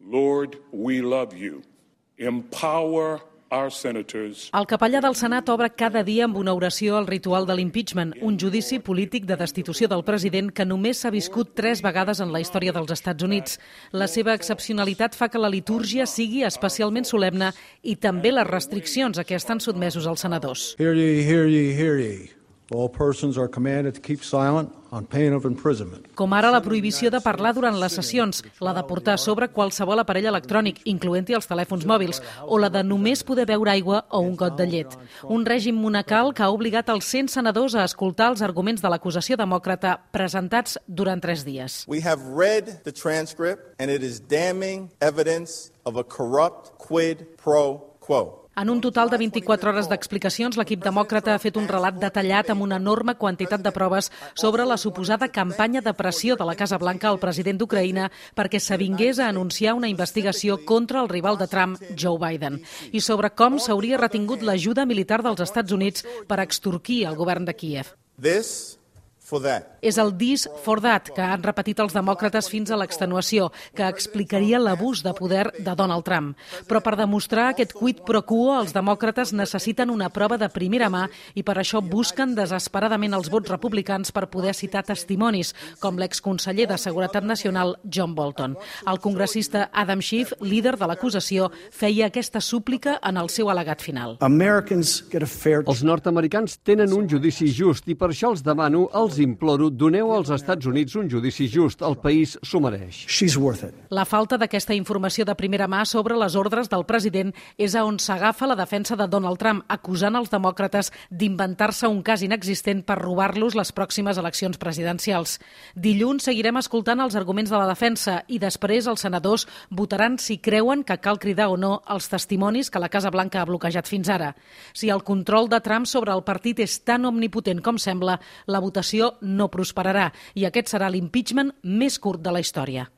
Lord, we love you. Empower our senators. El capellà del Senat obre cada dia amb una oració al ritual de l'impeachment, un judici polític de destitució del president que només s'ha viscut 3 vegades en la història dels Estats Units. La seva excepcionalitat fa que la litúrgia sigui especialment solemne i també les restriccions a què estan sotmesos els senadors. Hear ye, hear ye, hear ye. All persons are commanded to keep silent on pain of imprisonment. Com ara la prohibició de parlar durant les sessions, la de portar a sobre qualsevol aparell electrònic, incloent-hi els telèfons mòbils, o la de només poder beure aigua o un got de llet. Un règim monacal que ha obligat els 100 senadors a escoltar els arguments de l'acusació demòcrata presentats durant 3 dies. We have read the transcript and it is damning evidence of a corrupt quid pro quo. En un total de 24 hores d'explicacions, l'equip demòcrata ha fet un relat detallat amb una enorme quantitat de proves sobre la suposada campanya de pressió de la Casa Blanca al president d'Ucraïna perquè s'avingués a anunciar una investigació contra el rival de Trump, Joe Biden, i sobre com s'hauria retingut l'ajuda militar dels Estats Units per extorquir el govern de Kíev. This for that. És el this for that que han repetit els demòcrates fins a l'extenuació, que explicaria l'abús de poder de Donald Trump. Però per demostrar aquest quid pro quo, els demòcrates necessiten una prova de primera mà i per això busquen desesperadament els vots republicans per poder citar testimonis, com l'exconseller de Seguretat Nacional John Bolton. El congressista Adam Schiff, líder de l'acusació, feia aquesta súplica en el seu al·legat final. Els nord-americans tenen un judici just i per això els demano, els imploro, doneu als Estats Units un judici just. El país s'ho mereix. La falta d'aquesta informació de primera mà sobre les ordres del president és a on s'agafa la defensa de Donald Trump, acusant els demòcrates d'inventar-se un cas inexistent per robar-los les pròximes eleccions presidencials. Dilluns seguirem escoltant els arguments de la defensa i després els senadors votaran si creuen que cal cridar o no els testimonis que la Casa Blanca ha bloquejat fins ara. Si el control de Trump sobre el partit és tan omnipotent com sembla, la votació no prosperarà i aquest serà l'impeachment més curt de la història.